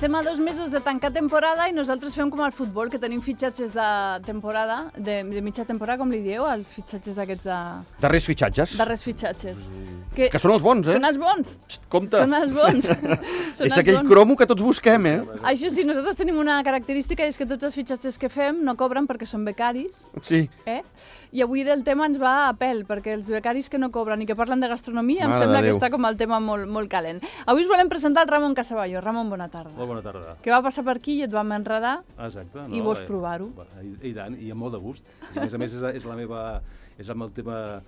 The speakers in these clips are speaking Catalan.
estem a 2 mesos de tancar temporada i nosaltres fem com al futbol, que tenim fitxatges de temporada, de mitja temporada, com li dieu, els fitxatges aquests de... Darrers fitxatges. Darrers fitxatges. Que són els bons, eh? Són els bons. Compte. Són els bons. És aquell cromo que tots busquem, eh? Això sí, nosaltres tenim una característica i és que tots els fitxatges que fem no cobren perquè són becaris. Sí. I avui del tema ens va a pèl, perquè els becaris que no cobren i que parlen de gastronomia em sembla que està com el tema molt calent. Avui us volem presentar el Ramon Casaballo. Ramon, bona tarda. Molt bona tarda. Que va passar per aquí i et vam enredar. Exacte. I vols provar-ho. I tant, i amb molt de gust. I a més és el tema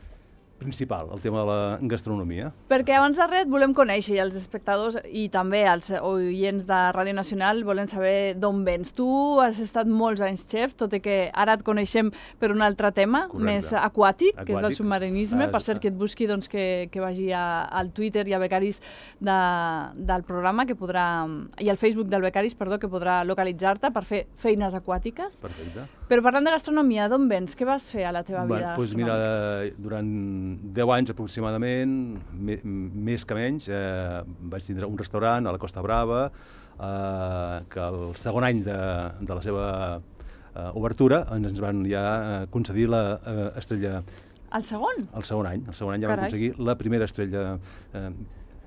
principal, el tema de la gastronomia. Perquè abans de res volem conèixer, i els espectadors i també els oients de Ràdio Nacional volen saber d'on vens. Tu has estat molts anys xef, tot i que ara et coneixem per un altre tema, més aquàtic, que és el submarinisme. Per cert, que et busqui que vagi al Twitter i a Becaris del programa, i al Facebook del Becaris, que podrà localitzar-te per fer feines aquàtiques. Perfecte. Però parlant de gastronomia, d'on vens? Què vas fer a la teva vida gastronòmica? Doncs mira, durant 10 anys aproximadament, més que menys, vaig tindre un restaurant a la Costa Brava, que el segon any de la seva obertura ens van ja concedir l'estrella... El segon? El segon any ja vam aconseguir la primera estrella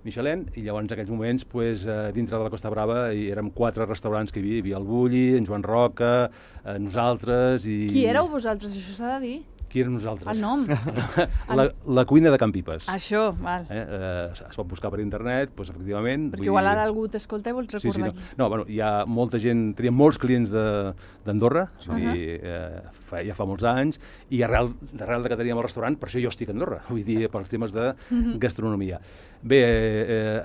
Michelin, i llavors en aquells moments, dintre de la Costa Brava, érem 4 restaurants que hi havia el Bulli, en Joan Roca, nosaltres i... Qui éreu vosaltres, això s'ha de dir? Qui érem nosaltres? El nom? La cuina de Can Pipes. Això, val. Es pot buscar per internet, doncs efectivament... Perquè igual ara algú t'escolta i vols recordar aquí. No, hi ha molta gent, teníem molts clients d'Andorra, ja fa molts anys, i arrel de que teníem el restaurant, per això jo estic a Andorra, vull dir, pels temes de gastronomia. Bé,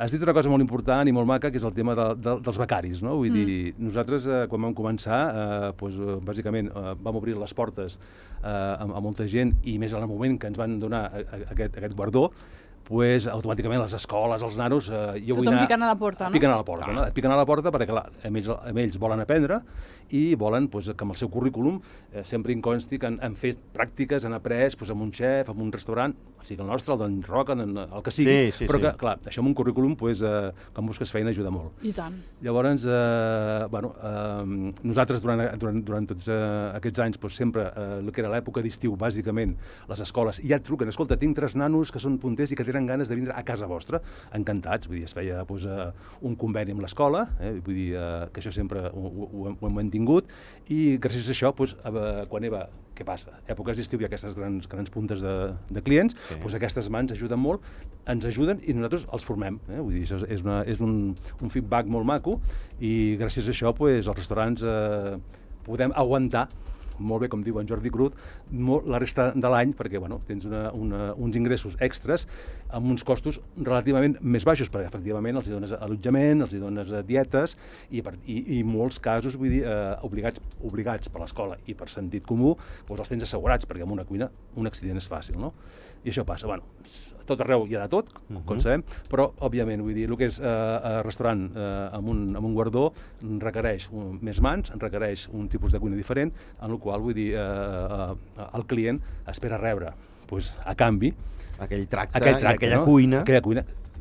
has dit una cosa molt important i molt maca, que és el tema dels becaris, no? Vull dir, nosaltres, quan vam començar, bàsicament vam obrir les portes a molta gent, i més en el moment que ens van donar aquest guardó, automàticament les escoles, els nanos... Tothom picant a la porta, no? Picant a la porta perquè, clar, ells volen aprendre i volen que amb el seu currículum sempre hi consti que han fet pràctiques, han après amb un xef, amb un restaurant, o sigui el nostre, el d'en Roca, el que sigui, però que, clar, això amb un currículum, quan busques feina, ajuda molt. I tant. Llavors, nosaltres durant tots aquests anys, sempre el que era l'època d'estiu, bàsicament, les escoles, ja et truquen, escolta, tinc 3 nanos que són punters i que tenen ganes de vindre a casa vostra, encantats, vull dir, es feia un conveni amb l'escola, vull dir que això sempre ho hem mantingut, i gràcies a això, quan què passa? Èpoques d'estiu hi ha aquestes grans puntes de clients, aquestes mans ajuden molt, ens ajuden i nosaltres els formem. Vull dir, això és un feedback molt maco, i gràcies a això els restaurants podem aguantar molt bé, com diu en Jordi Cruz, la resta de l'any, perquè tens uns ingressos extras amb uns costos relativament més baixos, perquè efectivament els hi dones allotjament, els hi dones dietes, i en molts casos, vull dir, obligats per l'escola i per sentit comú, els tens assegurats, perquè en una cuina un accident és fàcil, no? I això passa. A tot arreu hi ha de tot, com sabem, però, òbviament, vull dir, el que és restaurant amb un guardó requereix més mans, requereix un tipus de cuina diferent, en el qual, vull dir, el client espera rebre, a canvi, aquell tracte, aquella cuina.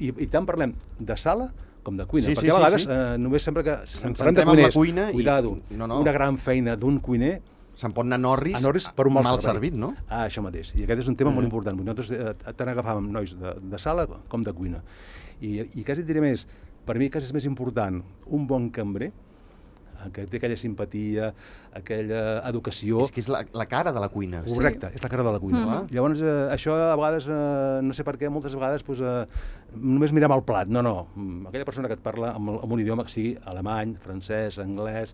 I tant parlem de sala com de cuina, perquè a vegades només sempre que parlem de cuiners, cuidado, una gran feina d'un cuiner, se'n pot anar a Norris per un mal servit, no? Això mateix. I aquest és un tema molt important. Nosaltres tant agafàvem nois de sala com de cuina. I quasi diré més, per mi quasi és més important un bon cambrer, que té aquella simpatia, aquella educació... És que és la cara de la cuina. Correcte, és la cara de la cuina. Llavors, això a vegades, no sé per què, moltes vegades només mirem el plat. No, aquella persona que et parla amb un idioma que sigui alemany, francès, anglès,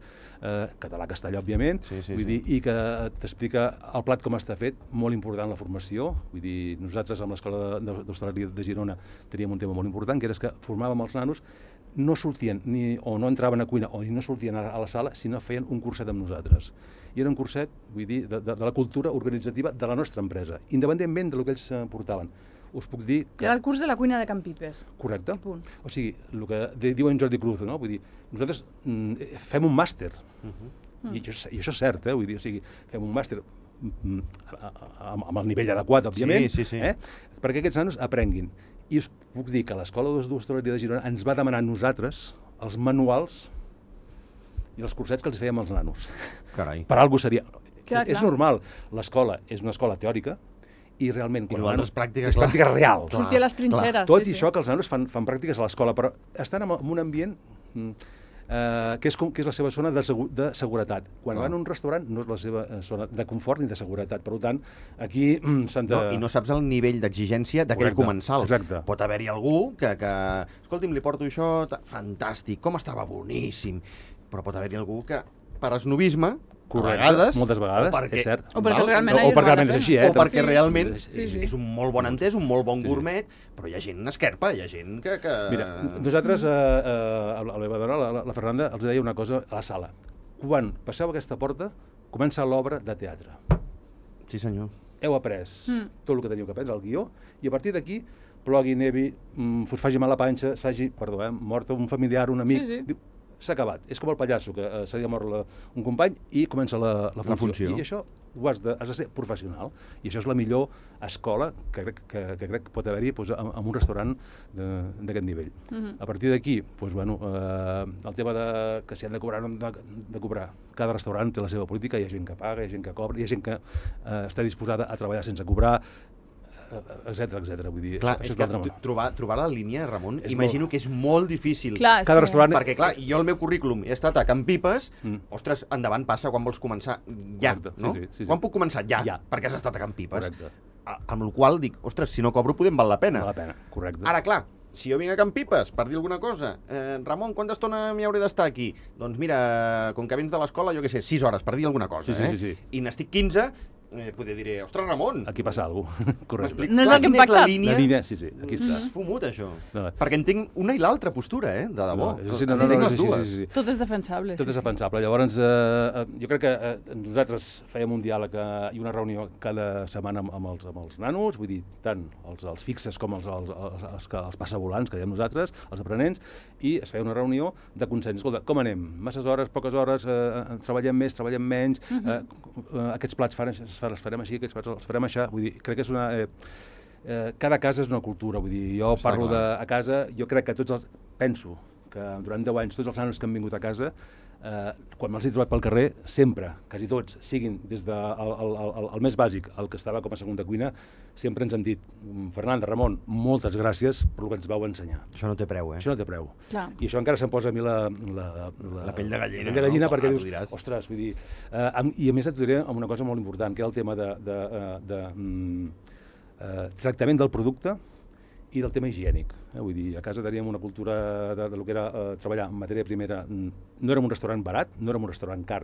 català, castellà, òbviament, vull dir, i que t'explica el plat com està fet, molt important la formació. Vull dir, nosaltres amb l'Escola d'Hostaleria de Girona teníem un tema molt important, que era que formàvem els nanos, no sortien o no entraven a cuina o no sortien a la sala si no feien un curset amb nosaltres. I era un curset, vull dir, de la cultura organitzativa de la nostra empresa, independentment del que ells portaven. Us puc dir que... Era el curs de la cuina de Can Pipes. Correcte. O sigui, el que diu en Jordi Cruz, no? Vull dir, nosaltres fem un màster, i això és cert, vull dir, o sigui, fem un màster amb el nivell adequat, òbviament, perquè aquests nanos aprenguin. I us puc dir que l'Escola d'Hostaleria de Girona ens va demanar a nosaltres els manuals i els cursets que els fèiem als nanos. Carai. Per alguna cosa seria... Clar. És normal. L'escola és una escola teòrica i realment... I és pràctica, és pràctica real. Sortir a les trinxeres. Tot i això que els nanos fan pràctiques a l'escola, però estan en un ambient que és la seva zona de seguretat. Quan van a un restaurant no és la seva zona de confort ni de seguretat. Per tant, aquí s'han de... I no saps el nivell d'exigència d'aquell comensal. Exacte. Pot haver-hi algú que... Escolti'm, li porto això... Fantàstic, com estava boníssim. Però pot haver-hi algú que, per esnobisme, moltes vegades, és cert. O perquè realment és així, o perquè realment és un molt bon entès, un molt bon gourmet, però hi ha gent esquerpa, hi ha gent que... Mira, nosaltres, a la meva dona, la Fernanda, els deia una cosa a la sala. Quan passeu aquesta porta, comença l'obra de teatre. Sí, senyor. Heu après tot el que teniu que aprendre, el guió, i a partir d'aquí, plogui, nevi, us faci mal la panxa, s'hagi, mort un familiar, un amic... Sí. S'ha acabat. És com el pallasso, que se li ha mort un company i comença la funció. I això has de ser professional. I això és la millor escola que crec que pot haver-hi en un restaurant d'aquest nivell. A partir d'aquí, el tema que si han de cobrar o no de cobrar. Cada restaurant té la seva política, hi ha gent que paga, hi ha gent que cobra, hi ha gent que està disposada a treballar sense cobrar, etcètera. Vull dir, clar, és que trobar la línia, Ramon, imagino que és molt difícil. Cada restaurant... Perquè, clar, jo el meu currículum he estat a Can Pipes, ostres, endavant passa quan vols començar ja, no? Sí. Quan puc començar? Ja, perquè has estat a Can Pipes. Correcte. Amb la qual dic, ostres, si no cobro podem val la pena. Val la pena, correcte. Ara, clar, si jo vinc a Can Pipes per dir alguna cosa, Ramon, quanta estona m'hi hauré d'estar aquí? Doncs mira, com que vens de l'escola, jo què sé, 6 hores per dir alguna cosa, sí. I n'estic 15... Poder diré, ostres, Ramon... Aquí passa alguna cosa, correcte. No és el que hem pactat. La línia, sí, aquí està. És fumut, això. Perquè entenc una i l'altra postura, de debò. Entenc les dues. Tot és defensable. Tot és defensable. Llavors, jo crec que nosaltres fèiem un diàleg i una reunió cada setmana amb els nanos, vull dir, tant els fixes com els passavolants, que diem nosaltres, els aprenents, i es feia una reunió de consens. Escolta, com anem? Masses hores, poques hores, treballem més, treballem menys, aquests plats els farem així, aquests plats els farem així. Vull dir, crec que és una... cada casa és una cultura, vull dir, jo parlo a casa, jo crec que penso que durant 10 anys tots els nanos que han vingut a casa, quan me'ls he trobat pel carrer, sempre, quasi tots, siguin des del més bàsic, el que estava com a segunda cuina, sempre ens han dit, Fernanda, Ramon, moltes gràcies per el que ens vau ensenyar. Això no té preu, Això no té preu. Clar. I això encara se'm posa a mi la pell de gallina. La pell de gallina, perquè dius, ostres, vull dir... I a més et diré una cosa molt important, que era el tema de tractament del producte i del tema higiènic. Vull dir, a casa teníem una cultura del que era treballar en matèria primera. No érem un restaurant barat, no érem un restaurant car,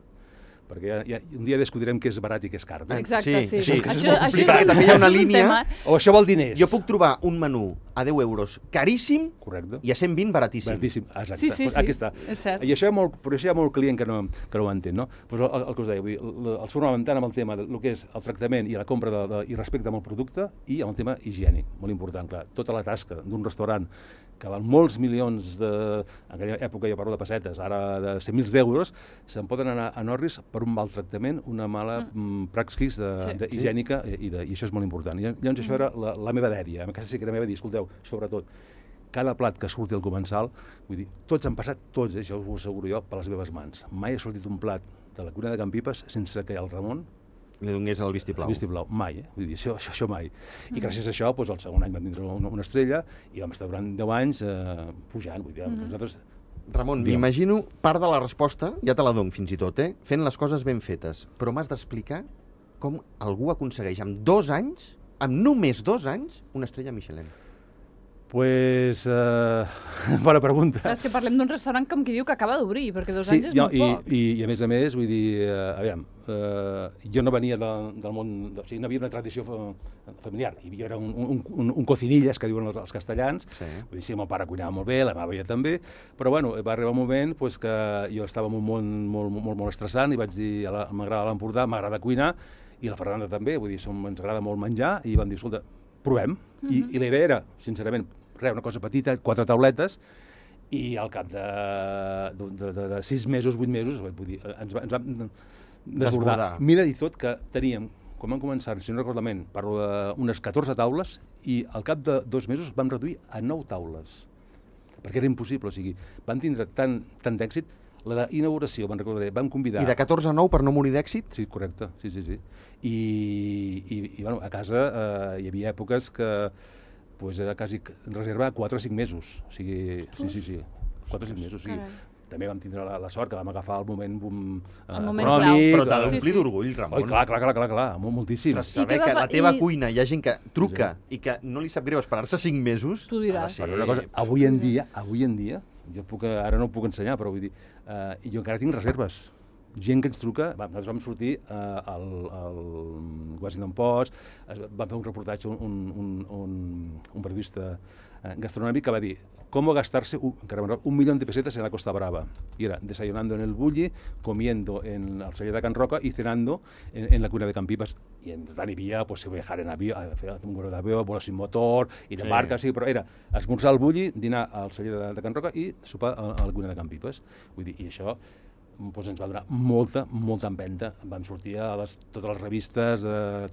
perquè un dia discutirem què és barat i què és car. Exacte, sí. Això és complicat, també hi ha una línia... O això vol diners. Jo puc trobar un menú a 10 euros caríssim. Correcte. I a 120 baratíssim. Baratíssim, exacte. Sí. Aquí està. És cert. I això però això hi ha molt client que no ho entén, no? Pues el que us deia, vull dir, els formàvem tant amb el tema del que és el tractament i la compra i respecte amb el producte i amb el tema higiènic, molt important, clar. Tota la tasca d'un restaurant que val molts milions en aquella època jo parlo de pessetes, ara de 100.000 d'euros, se'n poden anar a Norris per un mal tractament, una mala praxis higiènica, i això és molt important. I llavors això era la meva dèria. A casa sí que era meva dir, escolteu, sobretot, cada plat que surti al comensal, vull dir, tots han passat, tots, això us ho asseguro jo, per les meves mans. Mai ha sortit un plat de la cuina de Can Pipes sense que el Ramon li donés el vistiplau. El vistiplau, mai, Vull dir, això mai. I gràcies a això, el segon any vam tindre una estrella i vam estar durant 10 anys pujant. Vull dir, nosaltres... Ramon, m'imagino part de la resposta, ja te la dono fins i tot, fent les coses ben fetes, però m'has d'explicar com algú aconsegueix amb 2 anys, amb només 2 anys, una estrella Michelin. Pues, bona pregunta. És que parlem d'un restaurant com qui diu que acaba d'obrir, perquè 2 anys és molt poc. I a més, vull dir, aviam, jo no venia del món, o sigui, no havia una tradició familiar. Jo era un cocinillas, que diuen els castellans. Vull dir, sí, el meu pare cuinava molt bé, la meva veia també, però bueno, va arribar un moment que jo estava en un món molt estressant i vaig dir, m'agrada l'Empordà, m'agrada cuinar, i la Fernanda també, vull dir, ens agrada molt menjar, i vam dir, escolta, provem. I la idea era, sincerament, una cosa petita, 4 tauletes, i al cap de 6 mesos, 8 mesos, vull dir, ens vam desbordar. Mira, i tot que teníem, quan vam començar, si no recordo malament, parlo d'unes 14 taules, i al cap de 2 mesos vam reduir a 9 taules, perquè era impossible, o sigui, vam tindre tant d'èxit. La inauguració, me'n recordaré, vam convidar... I de 14 a 9 per no morir d'èxit? Sí, correcte, sí. I bueno, a casa hi havia èpoques que pues, era quasi reserva 4 o 5 mesos. O sigui, sí, 4 o 5 mesos. O sigui, també vam tindre la sort que vam agafar el moment econòmic. Però t'ha d'omplir d'orgull, Ramon. Clar, moltíssim. Saber que a la teva cuina hi ha gent que truca i que no li sap greu esperar-se 5 mesos... Tu diràs. Però una cosa, avui en dia, ara no ho puc ensenyar, però vull dir, jo encara tinc reserves. Gent que ens truca, nosaltres vam sortir al Washington Post, vam fer un reportatge, un periodista gastronòmic que va dir cómo gastarse, encara 1 millón de pesetas en la Costa Brava. Y era desayunando en el Bulli, comiendo en el celler de Can Roca y cenando en la cuina de Can Pipas. Y en tant hi havia, pues, viajar en avió, un vuelo d'avió, vuelo sin motor, i de barca, sí, però era esmorzar al Bulli, dinar al celler de Can Roca i sopar a la cuina de Can Pipes. Vull dir, i això doncs ens va donar molta empenta. Vam sortir a totes les revistes,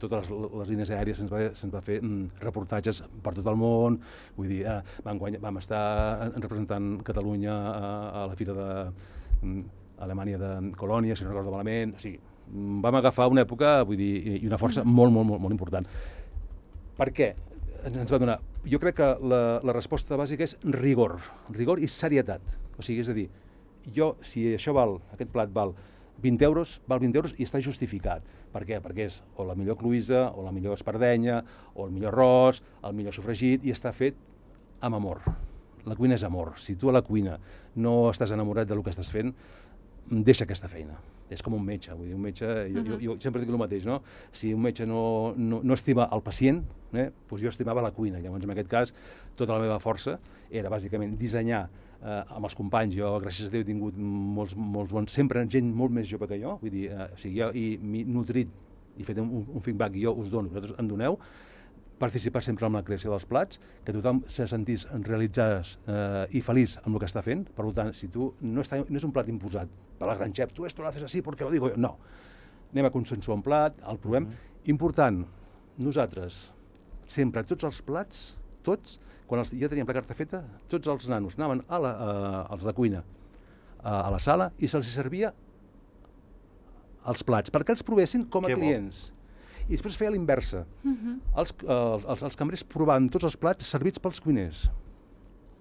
totes les línies aèries, se'ns va fer reportatges per tot el món. Vull dir, vam estar representant Catalunya a la fira d'Alemanya de Colònia, si no recordo malament. O sigui, vam agafar una època, vull dir, i una força molt important. Per què ens va donar? Jo crec que la resposta bàsica és rigor i serietat. O sigui, és a dir, si aquest plat val 20 euros, val 20 euros i està justificat. Per què? Perquè és o la millor cloïssa, o la millor espardenya, o el millor arròs, el millor sofregit, i està fet amb amor. La cuina és amor. Si tu a la cuina no estàs enamorat del que estàs fent, deixa aquesta feina. És com un metge. Vull dir, un metge, jo sempre dic el mateix, no? Si un metge no estima el pacient, doncs jo estimava la cuina. Llavors, en aquest cas, tota la meva força era bàsicament dissenyar amb els companys. Jo, gràcies a Déu, he tingut molts bons, sempre gent molt més jove que jo, vull dir, jo m'he nutrit i fet un feedback i jo us dono, vosaltres en doneu, participar sempre en la creació dels plats, que tothom se sentís realitzat i feliç amb el que està fent. Per tant, si tu no és un plat imposat per la gran xef, esto lo haces así porque lo digo yo. No. Anem a consensuar un plat, el provem. Important, nosaltres, sempre, tots els plats, tots, quan ja teníem la carta feta, tots els nanos anaven als de cuina a la sala i se'ls servia els plats, perquè els provessin com a clients. I després feia l'inversa. Els cambrers provaven tots els plats servits pels cuiners.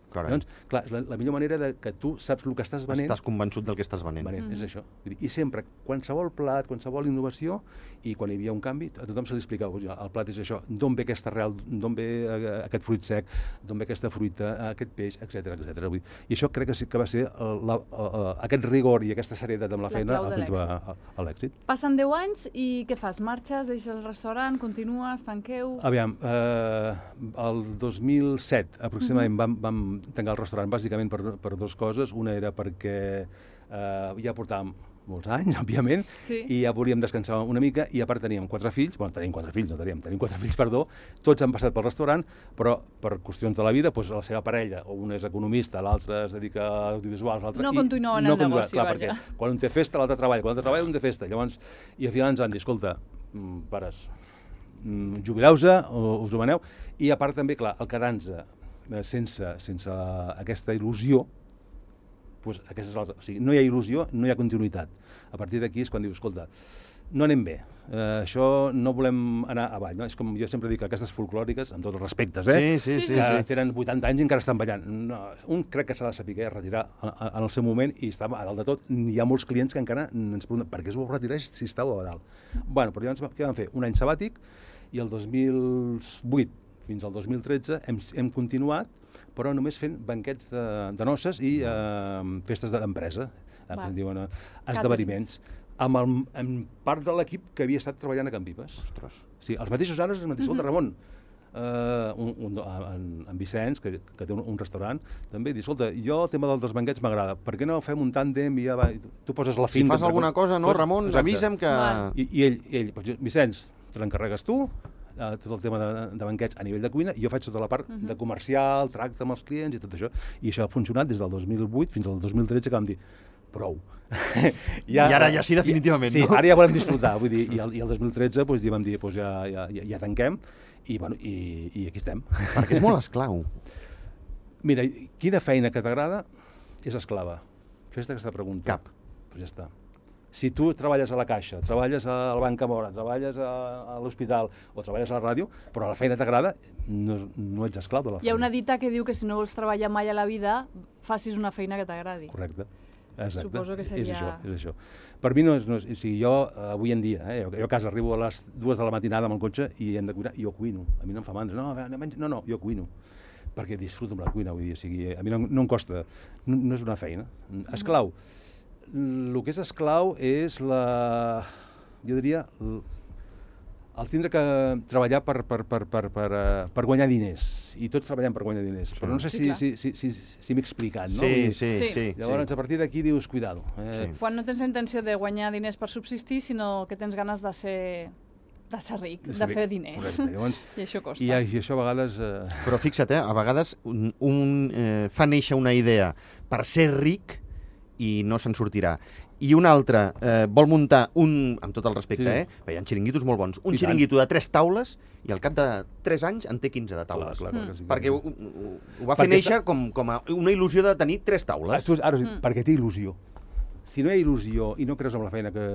Llavors, clar, és la millor manera que tu saps el que estàs venent. Estàs convençut del que estàs venent. És això. I sempre, qualsevol plat, qualsevol innovació, i quan hi havia un canvi, a tothom se li explicava, el plat és això, d'on ve aquesta arrel, d'on ve aquest fruit sec, d'on ve aquesta fruita, aquest peix, etc. I això crec que sí que va ser aquest rigor i aquesta serietat amb la feina el que ens va a l'èxit. Passen 10 anys i què fas? Marxes, deixes el restaurant, continues, tanqueu? Aviam, el 2007 aproximadament vam tancar el restaurant bàsicament per dues coses. Una era perquè ja portàvem molts anys, òbviament, i ja volíem descansar una mica, i a part teníem 4 fills, tenim 4 fills, tots han passat pel restaurant, però per qüestions de la vida, la seva parella, un és economista, l'altre es dedica a audiovisuals, l'altre... No continuaven el negoci, vaja. Quan un té festa, l'altre treballa, quan l'altre treballa, un té festa. Llavors, i al final ens van dir, escolta, pares, jubileu-se, us ho veneu, i a part també, clar, el quedar-nos sense aquesta il·lusió, no hi ha il·lusió, no hi ha continuïtat. A partir d'aquí és quan dius, escolta, no anem bé, això no volem anar avall, no? És com jo sempre dic, aquestes folclòriques, amb tots els respectes, que tenen 80 anys i encara estan ballant. Un crec que s'ha de saber retirar en el seu moment i està a dalt de tot. Hi ha molts clients que encara ens pregunten per què us ho retireix si estàu a dalt. Bueno, però llavors què vam fer? Un any sabàtic, i el 2008 fins al 2013 hem continuat, però només fent banquets de noces i festes d'empresa, esdeveniments, amb part de l'equip que havia estat treballant a Can Pipas. Ostres. Sí, els mateixos ara, escolta, Ramon, en Vicenç, que té un restaurant, també diu, escolta, jo el tema dels banquets m'agrada, per què no fem un tàndem i ja tu poses la finta... Si fas alguna cosa, no, Ramon, avisa'm que... I ell, Vicenç, te l'encarregues tu, tot el tema de banquets a nivell de cuina, i jo faig tota la part de comercial, tracte amb els clients i tot això. I això ha funcionat des del 2008 fins al 2013, que vam dir, prou. I ara ja sí, definitivament, no? Sí, ara ja volem disfrutar. Vull dir, i el 2013 vam dir, ja tanquem, i aquí estem. Perquè és molt esclau. Mira, quina feina que t'agrada és esclava. Fes-te aquesta pregunta. Cap. Pues ja està. Si tu treballes a la Caixa, treballes al Banc Camora, treballes a l'hospital o treballes a la ràdio, però la feina t'agrada, no ets esclau de la feina. Hi ha una dita que diu que si no vols treballar mai a la vida, facis una feina que t'agradi. Correcte. Exacte. Suposo que seria... És això. Per mi no és... O sigui, jo, avui en dia, jo a casa arribo a les 2 de la matinada amb el cotxe i hem de cuinar, i jo cuino. A mi no em fa mandra. No, jo cuino. Perquè disfruto amb la cuina, vull dir, o sigui, a mi no em costa. No és una feina. Esclau. El que és esclau és jo diria, el tindre que treballar per guanyar diners. I tots treballem per guanyar diners. Però no sé si m'he explicat, no? Sí. Llavors, a partir d'aquí dius, cuidado. Quan no tens la intenció de guanyar diners per subsistir, sinó que tens ganes de ser ric, de fer diners. Correcte. Llavors, I això costa. I això a vegades... Però fixa't, a vegades un fa néixer una idea per ser ric i no se'n sortirà. I un altre vol muntar amb tot el respecte, perquè hi ha xiringuitos molt bons, un xiringuito de 3 taules i al cap de 3 anys en té 15 de taules. Clar, sí, perquè ho va fer néixer com a una il·lusió de tenir 3 taules. Perquè té il·lusió. Si no hi ha il·lusió i no creus en la feina que...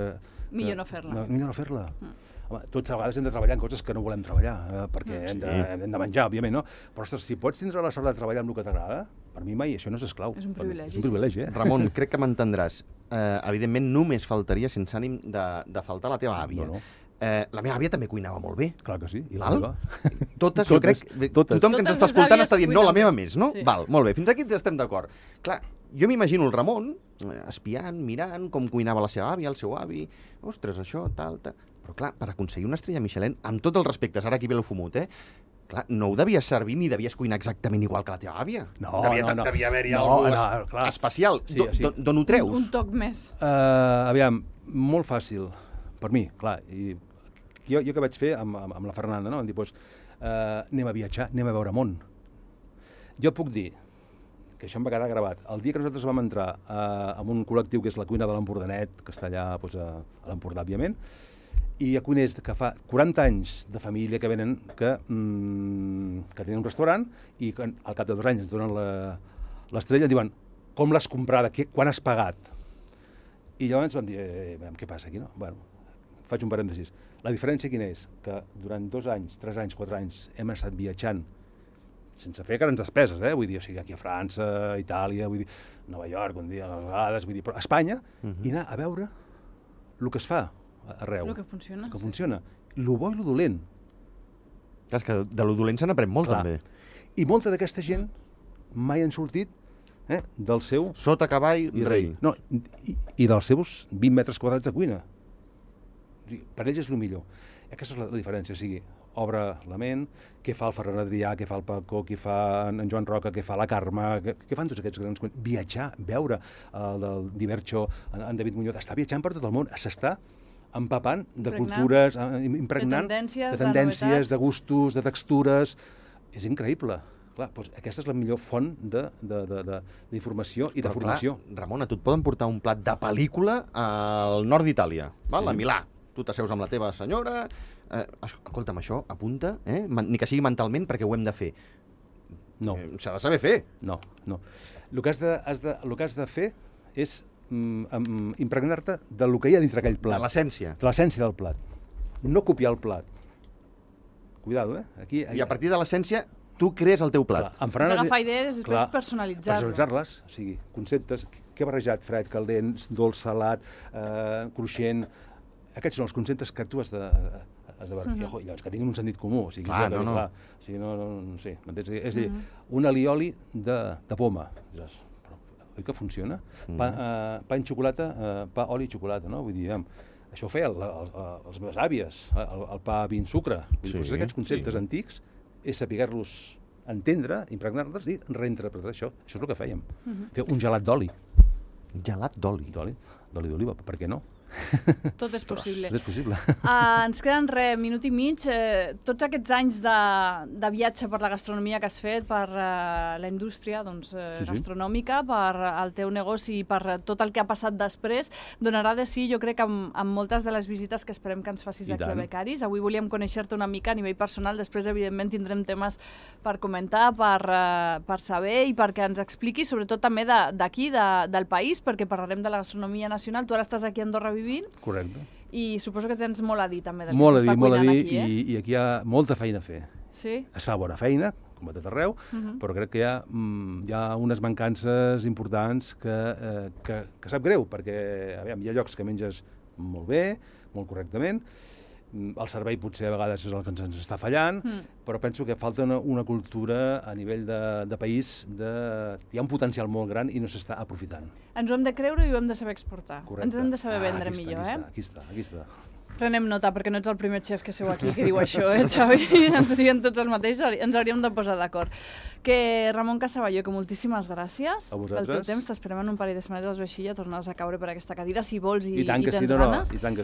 Millor no fer-la. Millor no fer-la. Home, tots a vegades hem de treballar en coses que no volem treballar, perquè hem de menjar, òbviament, no? Però, ostres, si pots tindre la sort de treballar amb el que t'agrada, per mi mai això no és esclau. És un privilegi. És un privilegi, Ramon, crec que m'entendràs. Evidentment, només faltaria, sense ànim de faltar, la teva àvia. La meva àvia també cuinava molt bé. Clar que sí. I la meva? Totes, jo crec... Tothom que ens està escoltant està dient, no, la meva més, no? Sí. Val, molt bé, fins aquí estem d'acord. Clar, jo m'imagino el Ramon espiant, mirant com cuinava la seva àvia, el seu avi, ostres, això, tal... Però clar, per aconseguir una estrella Michelin, amb tots els respectes, ara aquí ve el fumut, clar, no ho devies servir ni devies cuinar exactament igual que la teva àvia. No. Devia haver-hi alguna especial. D'on ho treus? Un toc més. Aviam, molt fàcil, per mi, clar. I jo què vaig fer amb la Fernanda, no? Vam dir, doncs, anem a viatjar, anem a veure món. Jo puc dir que això em va quedar gravat. El dia que nosaltres vam entrar en un col·lectiu que és la cuina de l'Empordanet, que està allà a l'Empordà, òbviament, i hi ha cuiners que fa 40 anys de família que venen, que tenen un restaurant i que al cap de 2 anys ens donen l'estrella i diuen, com l'has comprada, quan has pagat? I llavors vam dir, què passa aquí, no? Bueno, faig un parèntesis. La diferència quina és? Que durant 2 anys, 3 anys, 4 anys hem estat viatjant sense fer grans despeses, vull dir, o sigui, aquí a França, Itàlia, vull dir, Nova York, un dia, a vegades, vull dir, però a Espanya, i anar a veure el que es fa arreu. El que funciona. El que funciona. Lo bo i lo dolent. Clar, és que de lo dolent se n'aprèn molt, també. I molta d'aquesta gent mai han sortit del seu... Sota cavall, rei. No, i dels seus 20 metres quadrats de cuina. Per ells és el millor. Aquesta és la diferència, o sigui, obre la ment, què fa el Ferran Adrià, què fa el Paco, què fa en Joan Roca, què fa la Carme, què fan tots aquests grans cuiners. Viatjar, veure el del Divercho, en David Muñoz, està viatjant per tot el món, s'està empapant de cultures, impregnant de tendències, de gustos, de textures. És increïble. Clar, doncs aquesta és la millor font d'informació i de formació. Clar, Ramon, a tu et poden portar un plat de pel·lícula al nord d'Itàlia, a Milà. Tu t'asseus amb la teva senyora... Escolta'm, això, apunta, ni que sigui mentalment, perquè ho hem de fer. No. S'ha de saber fer. No. El que has de fer és impregnar-te del que hi ha dintre aquell plat. De l'essència. De l'essència del plat. No copiar el plat. Cuidado, Aquí... I a partir de l'essència, tu crees el teu plat. És agafar idees i després personalitzar-les. O sigui, conceptes, què he barrejat? Fred, caldent, dolç, salat, cruixent... Aquests són els conceptes que tu has de veure. I llavors que tinguin un sentit comú. O sigui, clar. O sigui, no sé, m'entens? És a dir, un alioli de poma. Oi que funciona? Pa en xocolata, pa, oli i xocolata, no? Vull dir, això ho feien les meves àvies, el pa vi en sucre. Aquests conceptes antics és saber-los entendre, impregnar-los i reinterpretar això. Això és el que fèiem. Fer un gelat d'oli. Gelat d'oli? D'oli d'oliva, per què no? Tot és possible. Tot és possible. Ens queden minut i mig. Tots aquests anys de viatge per la gastronomia que has fet, per la indústria gastronòmica, per el teu negoci i per tot el que ha passat després, donarà de sí, jo crec, amb moltes de les visites que esperem que ens facis aquí a Becaris. Avui volíem conèixer-te una mica a nivell personal, després, evidentment, tindrem temes per comentar, per saber i perquè ens expliquis, sobretot també d'aquí, del país, perquè parlarem de la gastronomia nacional. Tu ara estàs aquí a Andorra vivint. Correcte. I suposo que tens molt a dir també del que s'està cuinant aquí, i aquí hi ha molta feina a fer. Sí? Es fa bona feina, com a tot arreu, però crec que hi ha unes mancances importants que sap greu, perquè hi ha llocs que menges molt bé, molt correctament, el servei potser a vegades és el que ens està fallant, però penso que falta una cultura a nivell de país, hi ha un potencial molt gran i no s'està aprofitant. Ens ho hem de creure i ho hem de saber exportar. Correcte. Ens hem de saber vendre millor, Aquí està. Prenem nota, perquè no ets el primer xef que seu aquí que diu això, Xavi? Ens diuen tots el mateix, ens hauríem de posar d'acord. Que Ramon Casaballó, que moltíssimes gràcies pel teu temps. T'esperem en un parell de setmanetes o així, ja tornaràs a caure per aquesta cadira, si vols i tens ganes. I tant que